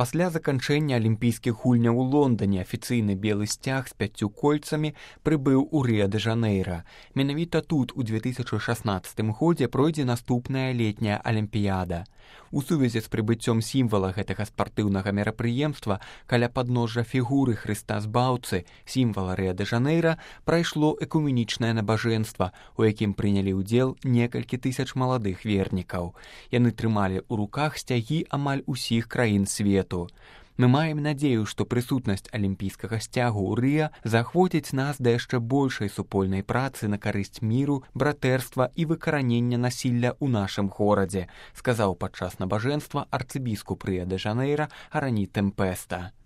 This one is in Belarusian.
Пасля заканчэння алімпійскіх гульняў у Лондане афіцыйны белы сцяг з 5 кольцамі прыбыў у Рыа-дэ-Жанэйра. Менавіта тут у 2016 годзе пройдзе наступная летняя алімпіяда. У сувязі з прыбыццём сімвала гэтага спартыўнага мерапрыемства каля падножжа фігуры Хрыста Збаўцы, сімвала Рыа-дэ-Жанэйра, прайшло экуменічнае набажэнства, у якім прынялі ўдзел некалькі тысяч маладых вернікаў. Яны трымалі ў руках сцягі амаль усіх краін свету. Мы маем надзею, што прысутнасць алімпійскага сцягу ў Рыа заахвоціць нас да яшчэ большай супольнай працы на карысць міру, братэрства і выкаранення насілля ў нашым горадзе, сказаў падчас набажэнства арцыбіскуп Рыа-дэ-Жанэйра Арані Тэмпеста.